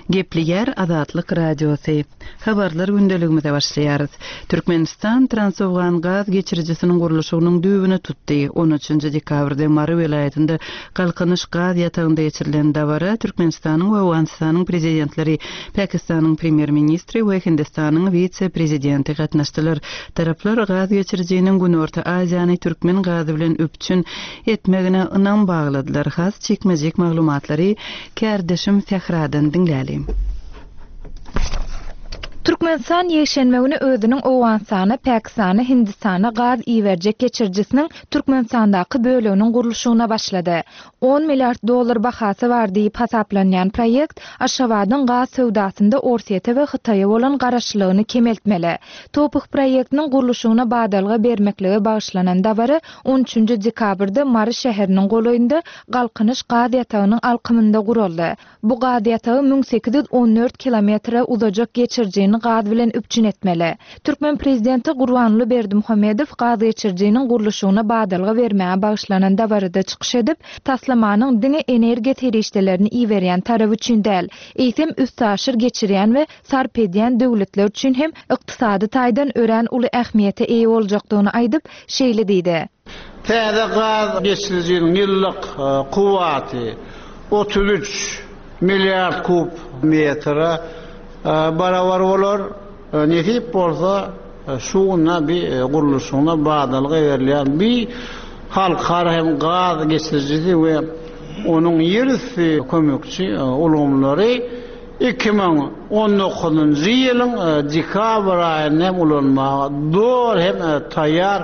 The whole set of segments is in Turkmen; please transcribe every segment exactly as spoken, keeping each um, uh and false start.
Gepleýär Azatlyk Radiosy. Habarlar gündeligimize başlaýarys. Türkmenistan Transowgan gaz geçirijisiniň gurluşygynyň düýbüni tutdy. On üçünji dekabrda Mary welaýatynda Galkynyş gaz ýatagynda geçirilen dabara Türkmenistanyň we Owganystanyň prezidentleri, Pakistanyň premýer-ministri we Hindistanyň wise-prezidenti gatnaşdylar. Taraplar gaz geçirijiniň Günorta Aziýany türkmen gazy bilen üpjün etmegine ynam bagladylar. Has jikme-jik maglumatlary kärdeşim Sähradan diňläliň. Türkmenistan ýekşenbe güni özüniň Owganystana, Pakistana, Hindistana gaz iberjek geçirijisiniň Türkmenistandaky böleginiň gurluşygyna başlady. On milliard dollar bahasy bar diýip hasaplanýan proýekt Aşgabadyň gaz söwdasynda Orsýete we Hytaýa bolan garaşlylygyny kemeltmeli. Toph proýektiniň gurluşygyna badalga bermeklige bagyşlanan dabara on üçünji dekabrda Mary şäheriniň golaýynda Galkynyş gaz ýatagynyň alkymynda guraldy. Bu gaz ýatagy müň sekiz ýüz on dört kilometre uzajak geçirijini gaz bilen üpjün etmeli. Türkmen prezidenti Gurbanguly Berdimuhamedow gaz geçirijiniň gurluşygyna badalga bermäge bagyşlanan dabarada çykyş edip, taslamanyň diňe energiýa serişdelerini iberýän tarap üçin däl, eýsem üstaşyr geçirýän we sarp edýän döwletler üçin hem ykdysady taýdan örän uly ähmiýete eýe boljakdygyny aýdyp, şeýle diýdi. Täze gaz geçirijiniň ýyllyk, e, kuwwaty otuz üç milliard kub metre, e, barabar bolar. E, nesip bolsa, e, şuňa bir, e, gurluşygyna badalga berilýän bir halkara hem gaz geçirijisi we onuň ýerüsti kömekçi, e, ulgamlary iki müň on dokuzynjy ýylyň, e, dekabr aýynda hem ulanmaga doly hem, e, taýýar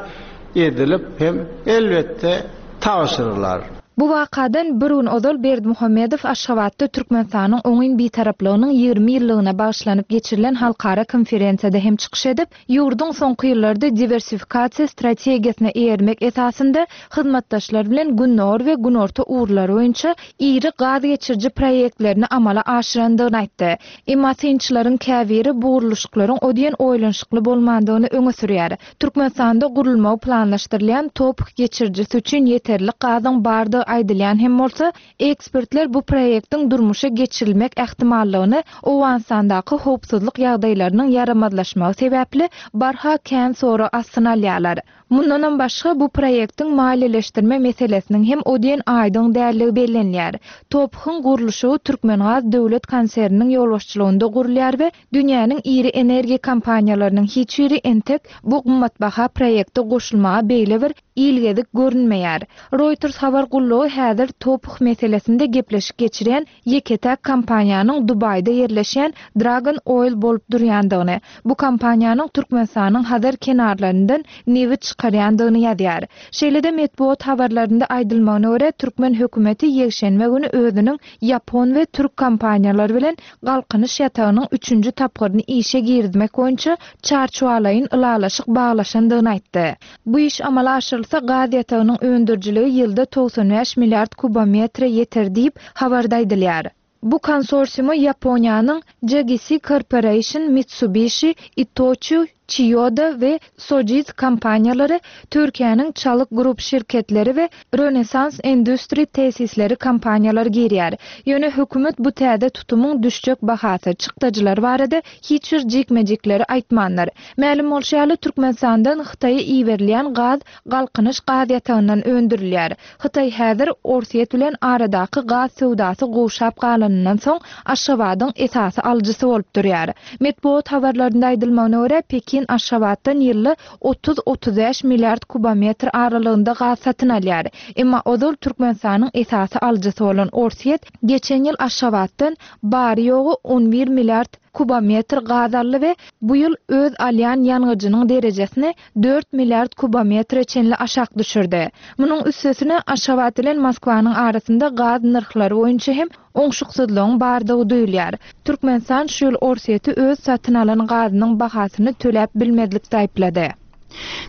edilip hem elbetde tabşyrylar. Bu wakadan bir gün ozal Berdimuhamedow Aşgabatda Türkmenistanyň oňyn bitaraplygynyň ýigrimi ýyllygyna bagyşlanyp geçirilen halkara konferensiýada hem çykyş edip, ýurduň soňky ýyllarda diwersifikasiýa strategiýasyna eýermek esasynda hyzmatdaşlar bilen Gündogar we Günorta ugurlary boýunça iri gaz geçiriji proýektlerini amala aşyrandygyny aýtdy. Emma synçylaryň käbiri bu gurluşyklaryň o diýen oýlanyşykly bolmandygyny öňe sürýär. Türkmenistanda gurulmagy planlaşdyrylýan Toph geçirijisi üçin ýeterlik gazyň bardygy aýdylýan hem bolsa, ekspertler bu proýektiň durmuşa geçirilmek ähtimallygyny Owganystandaky howpsuzlyk ýagdaýlarynyň ýaramazlaşmagy sebäpli barha kän sorag astyna alýarlar. Mundanam başga bu proýektiň maliýeleşdirme meselesiniň hem o diýen aýdyň dälligi bellenýär. Tophyň gurluşygy Türkmengaz döwlet konserniniň ýolbaşçylygynda gurulýar we dünýäniň iri energiýa kompaniýalarynyň hiç biri entek bu gymmatbaha proýekte goşulmaga beýle bir ilgezik görünmeýär. Reuters habar gullugy häzir Toph meselesinde gepleşik geçirýän ýeke-täk kompaniýanyň Dubaýda ýerleşýän Dragon Oil bolup durýandygyny, bu kompaniýanyň Türkmenistanyň Hazar kenarlaryndan nebit çykarýandygyny ýazýar. Şeýle-de metbugat habarlarynda aýdylmagyna görä türkmen hökümeti ýekşenbe güni özüniň Ýapon we türk kompaniýalary bilen Galkynyş ýatagynyň üçünji tapgyryny işe girizmek boýunça çarçuwalaýyn ylalaşyk baglaşandygyny aýtdy. Bu iş amala aşyrylsa gaz ýatagynyň öndürijiligi ýylda togsan bäş milliard kubometre ýeter diýip habarda aýdylýar. Bu konsorsiuma Ýaponiýanyň J G C Corporation, Mitsubishi, Itochu, Chiyoda we Sojitz kompaniýalary, Türkiýäniň Çalyk Group şirketleri we Rönesans Endustri tesisleri kompaniýalary girýär. Ýöne hökümet bu täze tutumyň düşjek bahasy, çykdajylar barada hiç bir jikme-jikleri aýtmanlar. Mälim bolşy ýaly Türkmenistandan Hytaýa iberilýän gaz Galkynyş gaz ýatagyndan öndürilýär. Hytaý häzir Orsýet bilen aradaky gaz söwdasy gowşap galanyndan soň Aşgabadyň esasy alyjysy bolup durýar. Metbugat habarlarynda aýdylmagyna görä Pekin Aşgabatdan ýylda otuz otuz bäş milliard kubometr aralygynda gaz satyn alýar. Emma ozal Türkmenistanyň esasy alyjysy bolan Orsýet geçen ýyl Aşgabatdan bary ýogy on bir milliard kubometr gaz aldy we bu ýyl öz alýan ýangyjynyň derejesini dört milliard kubometre çenli aşak düşürdi. Munuň üstesine Aşgabat bilen Moskwanyň arasynda gaz nyrhlary boýunça hem oňşuksyzlygyň bardygy duýulýar. Türkmenistan şu ýyl Orsýeti öz satyn alan gazynyň bahasyny töläp bilmezlik aýyplady.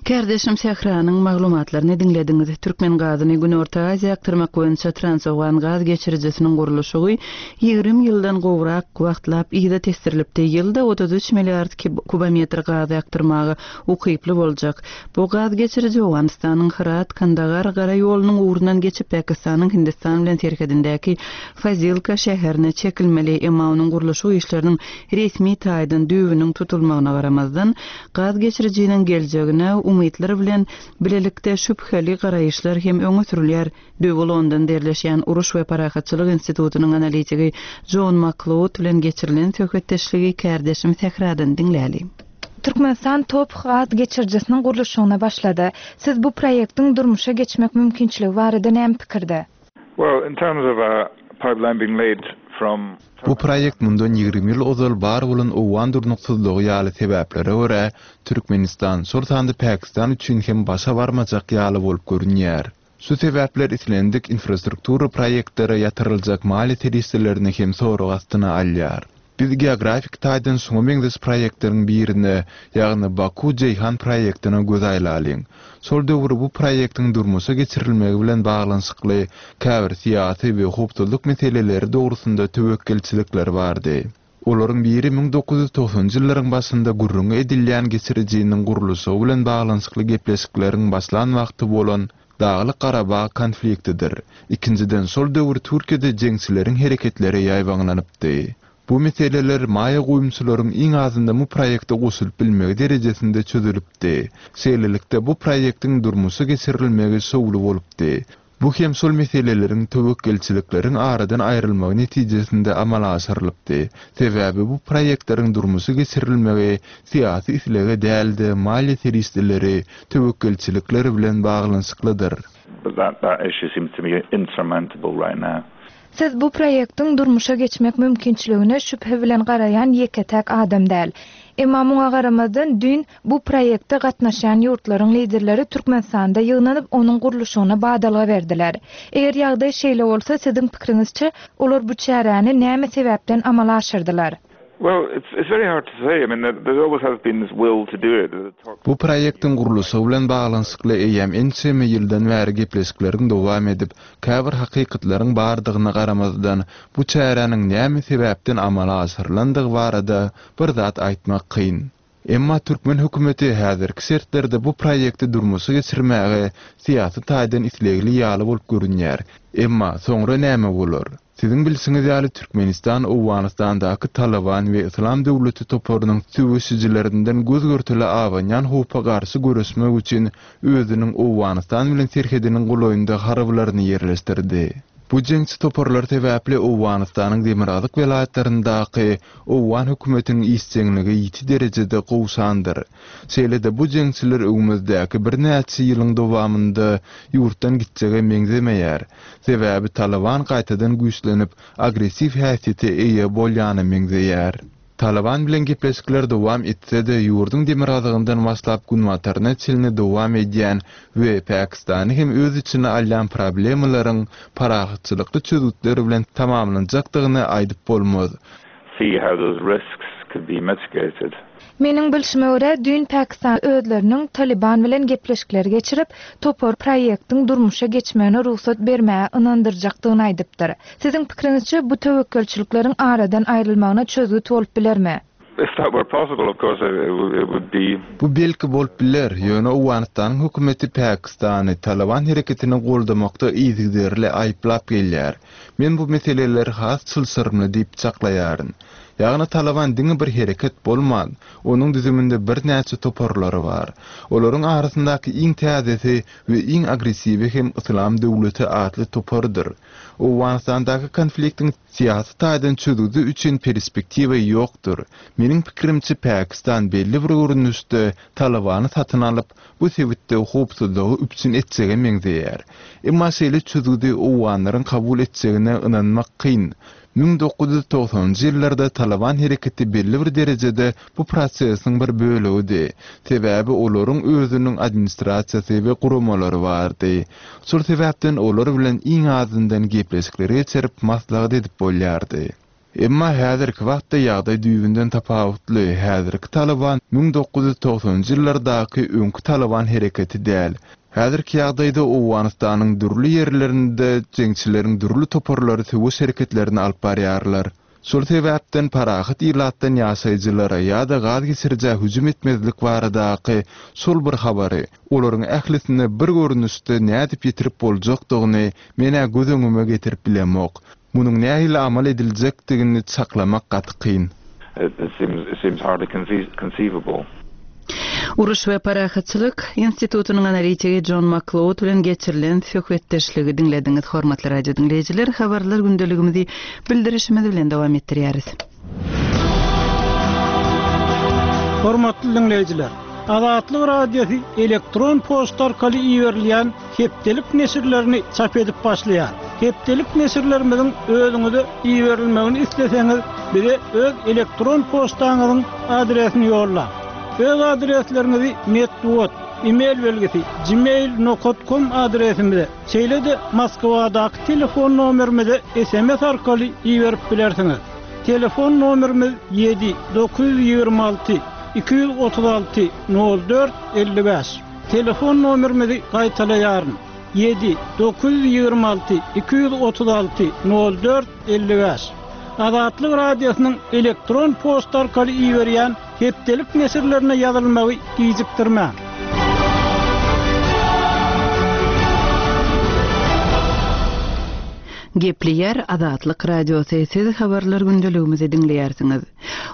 Kärdeşim Sähranyň maglumatlaryny diňlediňiz. Türkmen gazyny Günorta Aziýa akdyrmak boýunça Transowgan gaz geçirijisiniň gurluşygy ýigrimi ýyldan gowrak wagtlap yza tesdirilipdi. Ýylda otuz üç milliard kubometr gazy akdyrmaga ukyply boljak. Bu gaz geçiriji Owganystanyň Hyrat, Kandagar gara ýolunyň ugrundan geçip Pakistanyň Hindistan bilen serhedindäki Fazilka şäherine çekilmeli. Emma onuň gurluşyk işleriniň resmi taýdan düýbüniň tutulmagyna garamazdan gaz geçirijiniň geljegine umytlar bilen bilelikde şübheli garaýyşlar hem öňe sürülýär. Döwi Londonda ýerleşýän Uruş we Parahatçylyk institutynyň analitigi John McLeod bilen geçirilen söhbetdeşligi kärdeşim Sähradan diňläli. Türkmenistan TOPH gaz geçirijisiniň gurluşygyna başlady. Siz bu proýektiň durmuşa geçmek mümkinçiligi barada näme pikirde? Well, in terms of a pipeline being laid from Bu proýekt mundan ýigrimi ýyl ozal bar bolan owgan durnuksyzlygy ýaly sebäplere görä Türkmenistan, şol sanda Pakistan üçin hem başa barmajak ýaly bolup görünýär. Şu sebäpler islendik infrastruktura proýektlere ýatyryljak maliýe serişdelerini hem sorag astyna alýar. Biz geografik taýdan şoňa meňzeş proýektleriň birine, ýagny Baku-Jeýhan proýektine göz aýlalyň. Şol döwür bu proýektiň durmuşa geçirilmegi bilen baglanyşykly käbir syýasy we howpsuzlyk meseleleri dogrusynda töwekgelçilikler bardy. Olaryň biri müň dokuz ýüz togsanjy ýyllaryň başynda gürrüňi edilýän geçirijiniň gurluşygy bilen baglanyşykly gepleşikleriň başlan wagty bolan Daglyk Garabag konfliktidir. Ikinjiden şol döwür Türkiýede jeňçileriň hereketleri ýaýbaňlanypdy. Bu meseleler maýa goýumçylaryň iň azynda bu proýekte goşulyp bilmegi derejesinde çözülipdi. Şeýlelikde bu proýektiň durmuşa geçirilmegi şowly bolupdy. Bu hem şol meseleleriň töwekgelçilikleriň aradan aýrylmagy netijesinde amala aşyrylypdy. Sebäbi bu proýektleriň durmuşa geçirilmegi syýasy islege däldi, maliýe serişdeleri töwekgelçilikler bilen baglanyşyklydyr. But that, that issue seems to be insurmountable right now. Siz bu proýektiň durmuşa geçmek mümkinçiligine şübhe bilen garaýan ýeke-täk adam däl. Emma muňa garamazdan düýn bu proýekte gatnaşýan ýurtlaryň liderleri Türkmenistanda ýygnanyp onuň gurluşygyna badalga berdiler. Eger ýagdaý şeýle bolsa, siziň pikiriňizçe olar bu çäräni näme sebäpden amala aşyrdylar? Well, it's, it's very hard to say. I mean, there, there always has been this will to do it. Bu proýektiň gurluşygy bilen baglanyşykly eýýäm ençeme ýyldan bäri gepleşikleriň dowam edip, käbir hakykatlaryň bardygyna garamazdan bu çäräniň näme sebäpden amala aşyrylandygy barada bir zat aýtmak kyn. Emma türkmen hökümeti häzirki şertlerde bu proýekti durmuşa geçirmäge syýasy taýdan islegli ýaly bolup görünýär. Emma soňra näme bolar? Siziň bilşiňiz ýaly Türkmenistan Owganystandaky Taliban we Islam döwleti toparynyň söweşijilerinden göz-görtele abanýan howpa garşy göreşmek üçin özüniň Owganystan bilen serhediniň golaýynda harbylaryny ýerleşdirdi. Bu jeňçi toparlar sebäpli Owganystanyň demirgazyk welaýatlaryndaky Owgan hökümetiniň işjeňligi ýiti derejede gowşandyr. Şeýle-de bu jeňçiler öňümizdäki birnäçe ýylyň dowamynda ýurtdan gitjege meňzemeýär. Sebäbi Taliban gaýtadan güýçlenip, agressiw häsiýete eýe bolýana meňzeýär. Taliban bilen gepleşikler dowam etse-de, ýurduň demirgazygyndan başlap günbataryna çenli dowam edýän we Pakistany hem öz içine alýan problemalaryň parahatçylykly çözgütleri bilen tamamlanjakdygyny aýdyp bolmaz. See how those risks could be mitigated. Meniň bilşime görä, düýn Pakistan özleriniň Taliban bilen gepleşikler geçirip, topar proýektiň durmuşa geçmegine rugsat bermäge ynandyrjakdygyny aýdypdyr. Siziň pikiriňizçe bu töwekgelçilikleriň aradan aýrylmagyna çözgüt bolup bilermi? If that were possible, of course, it, it would be. Bu belki bolup biler, ýöne Owganystanyň hökümeti Pakistany Taliban hereketini goldamakda yzygiderli aýyplap gelýär. Men bu meseleleri has çylşyrymly diýip çaklaýaryn. Ýagny Taliban diňe bir hereket bolman, onuň düzüminde birnäçe toparlary bar. Olaryň arasyndaky iň täzesi we iň agressiwi hem Islam döwleti atly topardyr. Owganystandaky konfliktiň syýasy taýdan çözgüdi üçin perspektiwa ýokdur. Meniň pikirimçe Pakistan belli bir görnüşde Talibany satyn alyp, bu sebitde howpsuzlygy üpjün etjege meňzeýär. Emma şeýle çözgüdi Owganlaryň kabul etjegine ynanmak kyn. Müň dokuz ýüz togsanjy ýyllarda Taliban hereketi belli bir derejede bu prosesiň bir bölegidi. Sebäbi olaryň özüniň administrasiýasy we guramalary bardy. Şol sebäpden olar bilen iň azyndan gepleşikleri geçirip maslahat edip bolýardy. Emma häzirki wagtda ýagdaý düýbünden tapawutly. Häzirki Talyban müň dokuz ýüz togsanynjy ýyllardaky öňki Talyban hereketi däl. Häzirki ýagdaýda Owganystanyň dürli ýerlerinde jeňçileriň dürli toparlary söweş hereketlerini alyp barýarlar. Şol sebäpden parahat ilatdan ýaşaýjylara ýa-da gaz geçirijä hüjüm etmezlik baradaky şol bir habary olaryň ählisine bir görnüşde nädip ýetirip boljakdygyny men-ä göz öňüme getirip bilemok. Munuň nähili amal ediljekdigini çaklamak gaty kyn. It seems, it seems hardly conceivable. Uruş we parahatçylyk institutynyň analitigi Jon Makloud bilen geçirilen söhbetdeşligi diňlediňiz. Hormatly radio diňleýjiler, habarlar gündeligimizi bildirişimiz bilen dowam etdirýäris. Hormatly diňleýjiler, Azatlyk Radiosy elektron poçta arkaly iberilýän hepdelik neşirlerini çap edip başlaýar. Hepdelik neşirlerimiziň özüňize iberilmegini isleseňiz, bize öz elektron poçtaňyzyň adresini ýollaň. Öz adresleriňizi metbugat, e-mail belgisi gmail nokta com adresimize, şeýle-de Moskwadaky telefon nomerimize S M S arkaly iberip bilersiňiz. Telefon nomerimiz ýedi dokuz ýüz ýigrimi alty iki ýüz otuz alty nol dört elli bäş. Telefon nomerimizi gaýtalaýaryn. Ýedi dokuz ýüz ýigrimi alty iki ýüz otuz alty nol dört elli bäş. Azatlyk Radiosynyň elektron poçta arkaly iberýän hepdelik neşirlerine ýazylmagy gijikdirmäň. Gepleýär Azatlyk Radiosy, siz habarlar gündeligimizi diňleýärsiňiz.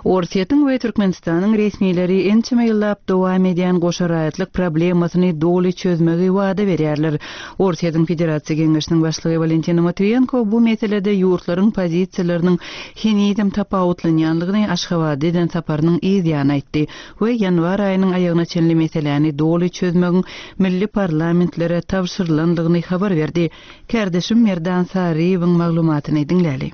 Orsýetiň we Türkmenistanyň resmileri ençeme ýyllap dowam edýän goşa raýatlyk problemasyny doly çözmegi wada berýärler. Orsýetiň Federasiýa Geňeşiniň başlygy Walentina Matwiýenko bu meselede ýurtlaryň pozisiýalarynyň henizem tapawutlanýanlygyny Aşgabatda eden saparynyň yz ýany aýtdy we ýanwar aýynyň aýagyna çenli meseläni doly çözmegiň milli parlamentlere tabşyrylandygyny habar berdi. Kardeşim Merdan Saryýewiň maglumatyny diňläli.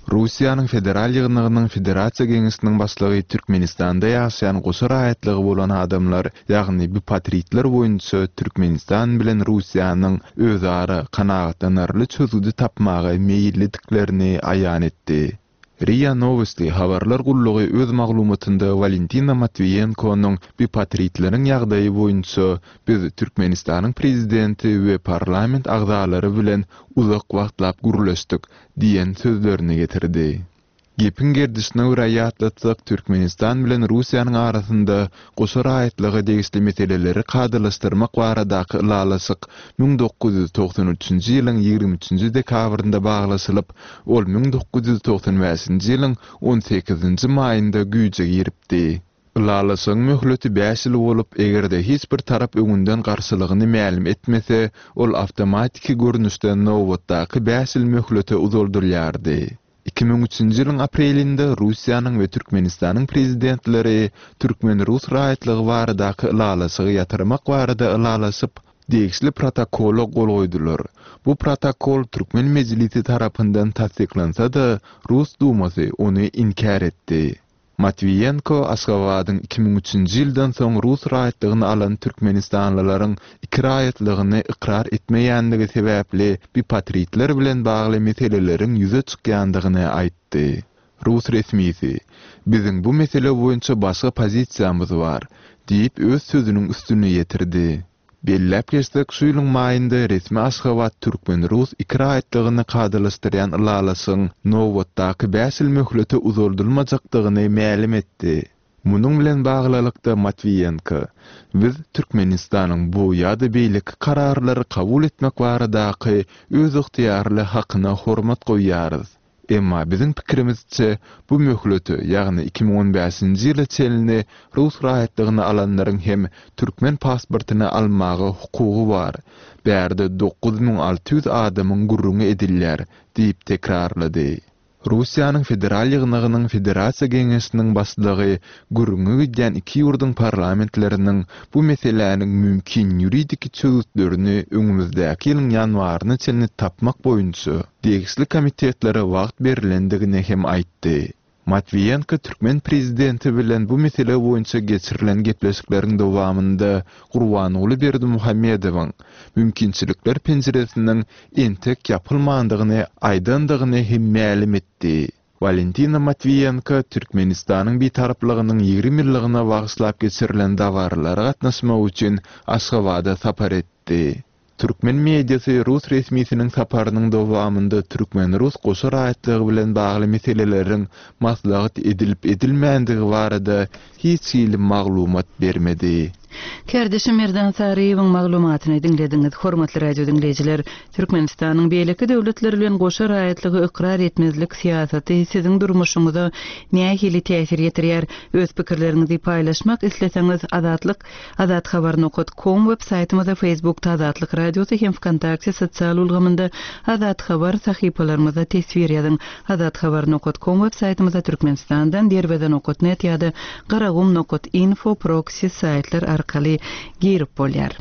Russiýanyň Federal Ýygnagynyň Federasiýa Geňeşiniň başlygy Türkmenistanda ýaşaýan goşa raýatlygy bolan adamlar, ýagny bipatritler boýunça Türkmenistan bilen Russiýanyň özara kanagatlanarly çözgüdi tapmaga meýillidiklerini aýan etdi. RIA Novosti habarlar gullugy öz maglumatynda Walentina Matwiýenkonyň bipatritleriň ýagdaýy boýunça biz Türkmenistanyň prezidenti we parlament agzalary bilen uzak wagtlap gürleşdik diýen sözlerini getirdi. Gepiň gerdişine görä ýatlatsak, Türkmenistan bilen Russiýanyň arasynda goşa raýatlyga degişli meseleleri kadalaşdyrmak baradaky ylalaşyk müň dokuz ýüz togsan üçünji ýylyň ýigrimi üçünji dekabrynda baglaşylyp, ol müň dokuz ýüz togsan bäşinji ýylyň on sekizinji maýynda güýje giripdi. Ylalaşygyň möhleti bäş ýyl bolup, eger-de hiç bir tarap öňünden garşylygyny mälim etmese, ol awtomatiki görnüşde nobatdaky bäş ýyl möhlete uzaldylýardy. Iki müň üçünji ýylyň aprelinde Russiýanyň we Türkmenistanyň prezidentleri Türkmen-Rus raýatlygy baradaky ylalaşygy ýatyrmak barada ylalaşyp, degişli protokola gol goýdular. Bu protokol Türkmen mejlisi tarapyndan tassyklansa-da, Rus dumasy ony inkär etdi. Matwiýenko Aşgabadyň iki müň üçünji ýyldan soň Rus raýatlygyny alan türkmenistanlylaryň iki raýatlygyny ykrar etmeýänligi sebäpli bipatritler bilen bagly meseleleriň ýüze çykýandygyny aýtdy. Rus resmisi, biziň bu mesele boýunça başga pozisiýamyz bar, diýip öz sözüniň üstüne ýetirdi. Belläp geçsek, şu ýylyň maýynda resmi Aşgabat Türkmen-Rus iki raýatlygyny kadalaşdyrýan ylalaşygyň nobatdaky bäş ýyl möhlete uzaldylmajakdygyny mälim etdi. Munuň bilen baglylykda Matwiýenko, biz Türkmenistanyň bu ýa-da beýleki kararlary kabul etmek baradaky öz ygtyýarly hakyna hormat goýýarys. Emma biziň pikirimizçe bu möhlete, ýagny iki müň on bäşinji ýyla çenli Rus raýatlygyny alanlaryň hem türkmen pasportyny almaga hukugy bar. Bärde dokuz müň alty ýüz adamyň gürrüňi edilýär, diýip tekrarlady. Russiýanyň Federal Ýygnagynyň Federasiýa Geňeşiniň başlygy gürrüňi gidýän iki ýurduň parlamentleriniň bu meseläniň mümkin ýuridik çözgütlerini öňümizdäki ýylyň ýanwaryna çenli tapmak boýunça degişli komitetlere wagt berilendigini hem aýtdy. Matwiýenko türkmen prezidenti bilen bu mesele boýunça geçirilen gepleşikleriň dowamynda Gurbanguly Berdimuhamedowyň mümkinçilikler penjiresiniň entek ýapylmandygyny aýdandygyny hem mälim etdi. Walentina Matwiýenko Türkmenistanyň Bitaraplygynyň ýigrimi ýyllygyna bagyşlap geçirilen dabaralara gatnaşmak üçin Aşgabada sapar etdi. Türkmen mediasy rus resmisiniň saparynyň dowamynda türkmen-rus goşa raýatlygy bilen bagly meseleleriň maslahat edilip-edilmändigi barada hiç hili maglumat bermedi. Kärdeşim Merdan Saryýewiň maglumatyny diňlediňiz. Hormatly radio diňleýjiler, Türkmenistanyň beýleki döwletler bilen goşa raýatlygy ykrar etmezlik syýasaty siziň durmuşyňyza nähili täsir ýetirýär? Öz pikirleriňizi paýlaşmak isleseňiz Azatlyk azathabar nokta com web saýtymyzda, Facebookda Azatlyk Radiosy hem VKontakte sosial ulgamynda Azat Habar sahypalarymyzda teswir ýazyň. Azathabar nokta com web saýtymyzda Türkmenistandan Derweze nokta net ýa-da Garagum nokta info proxy saýtlar arkaly girip bolýar.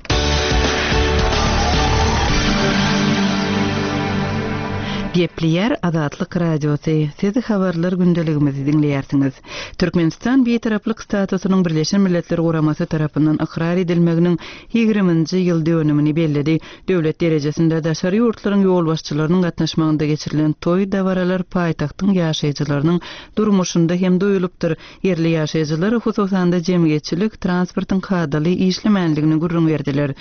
Gepleýär Azatlyk Radiosy. Siz habarlar gündeligimizi diňleýärsiňiz. Türkmenistan Bitaraplyk statusynyň Birleşen Milletler Guramasy tarapyndan ykrar edilmeginiň ýigriminji ýyl dönümini belledi. Döwlet derejesinde daşary ýurtlaryň ýolbaşçylarynyň gatnaşmagynda geçirilen toý dabaralar paýtagtyň ýaşaýjylarynyň durmuşynda hem duýulypdyr. Ýerli ýaşaýjylar hususan-da jemgyýetçilik transportyň kadaly işlemänligini gürrüň berdiler.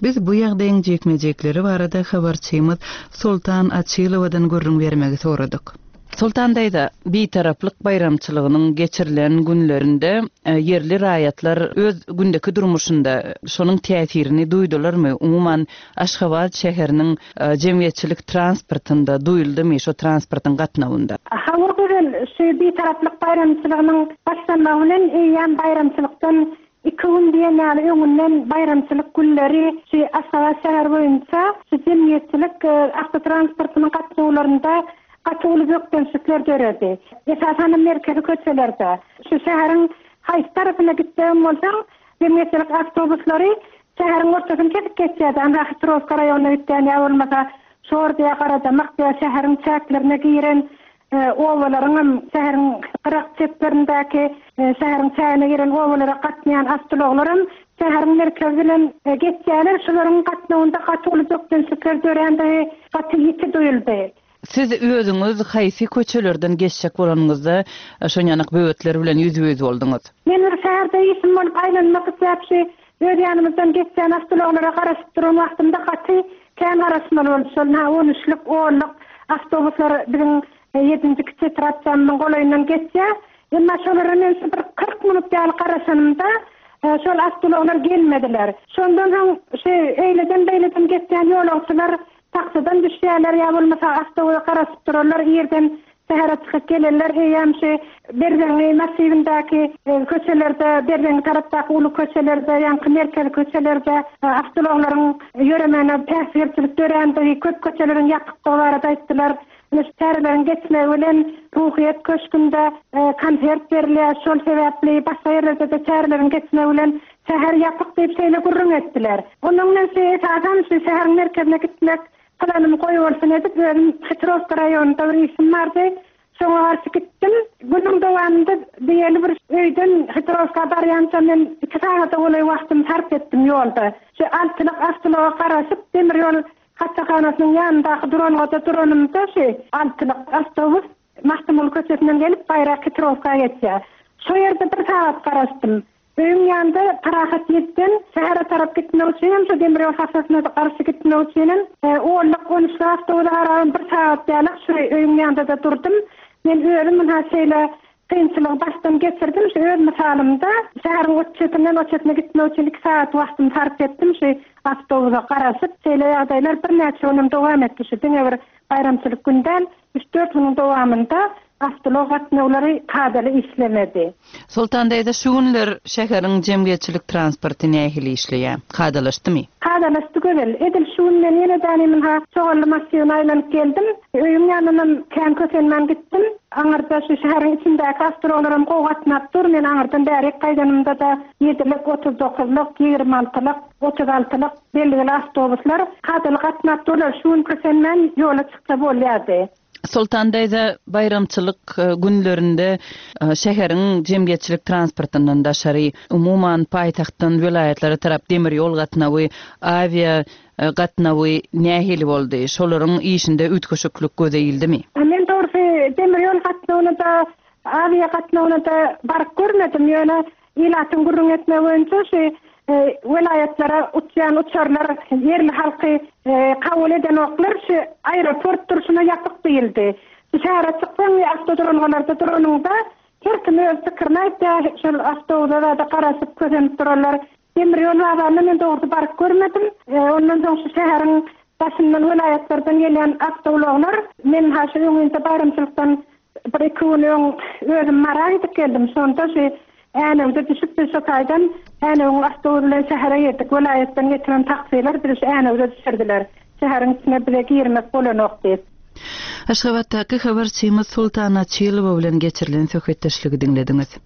Biz bu ýagdaýyň jekme-jekleri barada habarçymyz Sultan Açylowadan gürrüň bermegi soradyk. Sultan daýza, Bitaraplyk baýramçylygynyň geçirilen günlerinde, e, ýerli raýatlar öz gündeki durmuşynda şonuň täsirini duýdularmy? Umuman Aşgabat şäheriniň, e, jemgyýetçilik transportynda duýuldymy şo transportyň gatnawynda? Hawa güzel, şu Bitaraplyk baýramçylygynyň başlanmagy bilen eýýäm baýramçylykdan iki gün diýen ýaly öňünden baýramçylyk günleri şu Aşgabat şäheri boýunça şu jemgyýetçilik, e, awtotransportynyň gatnawlarynda gaty uly bökdençlikler döredi. Esasan merkezi köçelerde. Şu şäheriň haýsy tarapyna gitseň bolsaň, jemgyýetçilik awtobuslary şäheriň ortasyny kesip geçýärdi. Anda Hitrowka raýonyna gitýän ýa bolmasa Şor diýe Garadamak diýe şäheriň çäklerine giren, e, obalaryň hem şäheriň gyrak çetlerindäki, e, şäheriň çägine giren obalara gatnaýan awtoulaglar hem şäheriň merkezi bilen, e, geçýärler. Şularyň gatnawynda gaty uly bökdençlikler dörändigi gaty ýiti duýuldy. Siz özüňiz haýsy köçelerden geçjek bolanyňyzda, e, şonýanak böwetler bilen ýüzbe-ýüz bolduňyz? Men bir şäherde işim bolup aýlanmak isläp şu öz ýanymyzdan geçýän awtoulaglara garaşyp duran wagtymda gaty kän garaşmaly boldy. Şol ha on üçlük, onluk awtobuslar biziň, e, ýedinji kiçi etrapçamyzyň golaýyndan geçýär. Emma şolara men şu bir kyrk minut ýaly garaşanymda, e, şol awtoulaglar gelmediler. Şondan soň şu eýleden beýleden geçýän ýolagçylar taksydan düşýärler ýa bolmasa awtobusa garaşyp durarlar, ýerden şähere çykyp gelenler eýýäm şu Berzeňňi massiwindäki, e, köçelerde, Berzeňňi tarapdaky uly köçelerde, ýaňky merkezi köçelerde, e, awtoulaglaryň ýöremegine päsgelçilik dörändigi, köp köçeleriň ýapykdygy barada aýtdylar. Ine şu çäreleriň geçmegi bilen Ruhyýet köşgünde, e, konsert berilýär. Şol sebäpli başga ýerlerde-de çäreleriň geçmegi bilen şäher ýapyk diýip şeýle gürrüň etdiler. Onuň bilen şu esasan şu şäheriň merkezine gitmek planym goý bolsun edip özüm Hitrowka raýonynda bir işim bardy. Şoňa garşy gitdim. Günüň dowamynda diýeli bir öýden Hitrowka barýança men iki sagada golaý wagtymy sarp etdim ýolda. Şu altylyk awtoulaga garaşyp demir ýol hassahanasynyň ýanyndaky duralgada duranymda şu altylyk awtobus Magtymguly köçesinden gelip Baýrak Hitrowka geçýär. Şo ýerde bir sagat garaşdym. Öýüň ýanynda Parahat ýetden şähere tarap gitmek üçin hem şu demir ýol hassasyna garşy gitmek üçin hem, e, onluk, on üçlük awtobusa garabam bir sagat ýalyk şu öýüň ýanynda da durdum. Men özüm munha şeýle kynçylygy başdan geçirdim. Şu öz mysalymda şäheriň o çetinden o çetine gitmek üçin iki sagat wagtymy sarp etdim. Şu awtobusa garaşyp şeýle ýagdaýlar birnäçe günem dowam etdi. Şu diňe bir baýramçylyk gün däl, üç dört günüň dowamynda awtoulag gatnawlary kadaly işlemedi. Sultan daýza, şu günler şäheriň jemgyýetçilik transporty nähili işleýär? Kadalaşdymy? Kadalaşdy gözel. Edil şu gün men ýene dänimin ha Çoganly massiwine aýlanyp geldim. Öýüň ýanyndan kän kösenmän gitdim. Aňyrda şu şäheriň içindäki awtoulaglaram gowy gatnap dur. Men aňyrdan bärik gaýdanymda da ýedilik, otuz dokuzlyk, ýigrimi altylyk, otuz altylyk belgili awtobuslar kadaly gatnap durlar. Şu gün kösenmän ýola çyksa bolýardy. Sultan daýza, baýramçylyk, e, günlerinde, e, şäheriň jemgyýetçilik transportyndan daşary, umuman paýtagtdan welaýatlara tarap demir ýol gatnawy, awia, e, gatnawy nähili boldy? Şolaryň işinde üýtgeşiklik göze ildimi? E, men dogrusu Demir ýol gatnawyna-da, awiýa gatnawyna-da baryp görmedim, ýöne ilatyň gürrüň etmegi boýunça şu welaýatlara uçýan uçarlar ýerli halky kabul edenoklar, şu aeroport durşuna ýapyk diýildi. Şu şähere çyksaň we awtoduralgalarda duranyňda her kim öz pikirini aýtýar, şol awtobusa-da garaşyp kösenip durarlar. Demir ýol bazaryna men dogrusu baryp görmedim. Ondan soň şu şäheriň daşyndan welaýatlardan gelýän awtoulaglar, men ha şu öňünde baýramçylykdan bir iki gün öň özüm Mara gidip geldim. Şonda şu Änewde düşüp biz şu taýdan Änewiň awtobus bilen şähere girdik. Welaýatdan getiren taksiler bizi şu Änewde düşürdiler. Şäheriň içine bize girmek bolanok diýip. Aşgabatdaky habarçymyz Sultan Açylowa bilen geçirilen söhbetdeşligi diňlediňiz.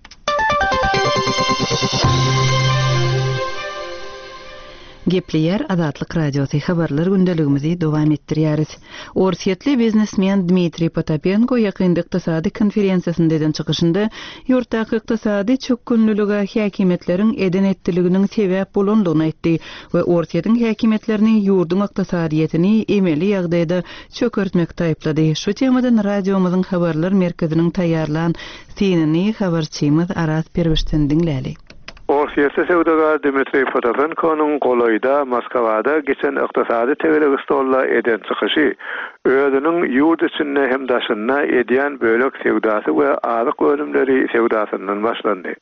Gepleýär Azatlyk Radiosy habarlar gündeligimizi dowam etdirýäris. Orsýetli biznesmen Dmitriý Potapenko ýakynda ykdysady konferensiýasynda eden çykyşynda ýurtdaky ykdysady çökgünlilige häkimiýetleriň eden etdiliginiň sebäp bolandygyny aýtdy we Orsýetiň häkimiýetlerini ýurduň ykdysadyýetini emeli ýagdaýda çökertmekde aýyplady. Şu temadan radiomyzyň habarlar merkeziniň taýýarlan synyny habarçymyz Araz Perwişden diňläli. Orsýetli söwdagär Dmitriý Potapenkonyň golaýda Moskwada geçen ykdysady tegelek stolda eden çykyşy özüniň ýurt içinde hem daşynda edýän bölek söwdasy we azyk önümleri söwdasyndan başlandy.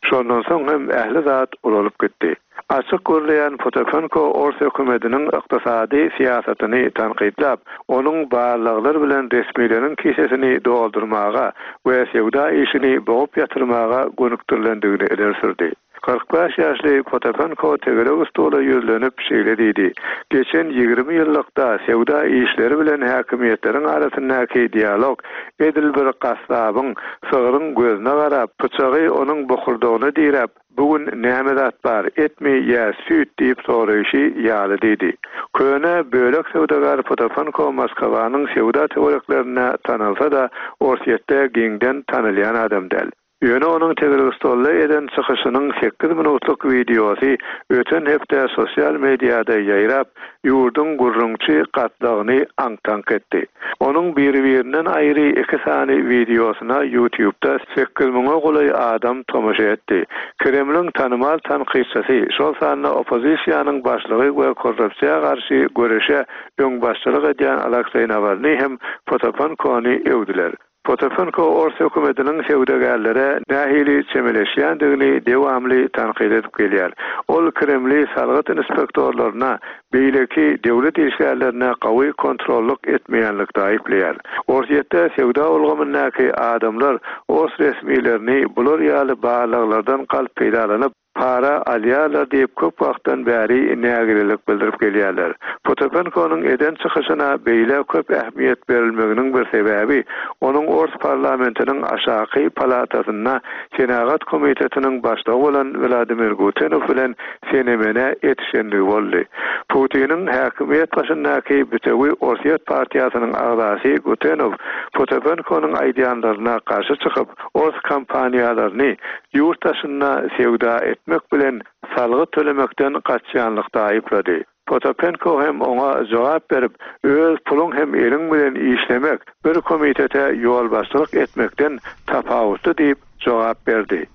Şondan soň hem ähli zat ulalyp gitdi. Açyk gürleýän Potapenko Ors hökümetiniň ykdysady syýasatyny tankytlap, onuň barlaglar bilen resmileriň kisesini doldurmaga we söwda işini bogup ýatyrmaga gönükdirilendigini ileri sürdi. Kyrk bäş ýaşly Potapenko tegelek stola ýüzlenip şeýle diýdi: Geçen ýigrimi ýyllykda söwda işleri bilen häkimiýetleriň arasyndaky dialog edil bir gassabyň sygryň gözüne garap, pyçagy onuň bokurdagyna diräp, "Bugün näme zat bar, etmi ýa süýt?" diýip soraýşy ýaly diýdi. Köne bölek söwdagär Potapenko Moskwanyň söwda töwereklerinde tanalsa-da, Orsýetde giňden tanalýan adam däl. Ýöne onuň tegelek stolda eden çykyşynyň sekiz minutlyk wideosy öten hepde sosial mediada ýaýrap, ýurduň gürrüňçi gatlagyny aňk-taňk etdi. Onuň biri-birinden aýry iki sany wideosyna YouTube'da sekiz müňe golaý adam tomaşa etdi. Kremliň tanymal tankytçysy, şol sanda oppozisiýanyň başlygy we korrupsiýa garşy göreşe öňbaşçylyk edýän Alekseý Nawalnyý hem Potapenkony öwdüler. Potapenko Ors hökümetiniň söwdagärlere nähili çemeleşýändigini dewamly tankyt edip gelýär. Ol Kremli salgyt inspektorlaryna, beýleki döwlet işgärlerine gawy kontrollyk etmeýänlikde aýyplaýar. Orsýetde söwda ulgamyndaky adamlar ors resmilerini bular ýaly barlaglardan galp peýdalanyp, para alýarlar diýip köp wagtdan bäri nägilelik bildirip gelýärler. Potapenkonyň eden çykyşyna beýle köp ähmiýet berilmeginiň bir sebäbi onuň Ors parlamentiniň aşaky palatasynda Senagat komitetiniň başlygy bolan Wladimir Gutenow bilen senemene etişenligi boldy. Putiniň häkimiýet başyndaky bütewi Orsýet partiýasynyň agzasy Gutenow Potapenkonyň aýdýanlaryna garşy çykyp, ors kompaniýalaryny ýurt daşynda söwda etmek bilen salgyt tölemekden gaçýanlykda aýyplady. Potapenko hem oňa jogap berip, öz puluň hem eliň bilen işlemek, bir komitete ýolbaşçylyk etmekden tapawutly diýip jogap berdi.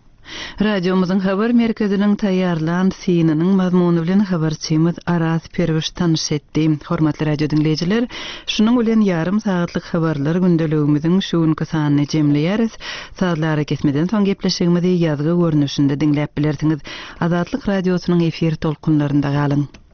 Radiomyzyň habar merkeziniň taýýarlan synynyň mazmuny bilen habarçymyz Araz Perwiş tanyş etdi. Hormatly radio diňleýjiler, şunuň bilen ýarym sagatlyk habarlar gündeligimiziň şu günki sanyny jemleýäris. Sazlara kesmeden soň gepleşigimizi ýazgy görnüşinde diňläp bilersiňiz. Azatlyk radiosynyň efir tolkunlarynda galyň.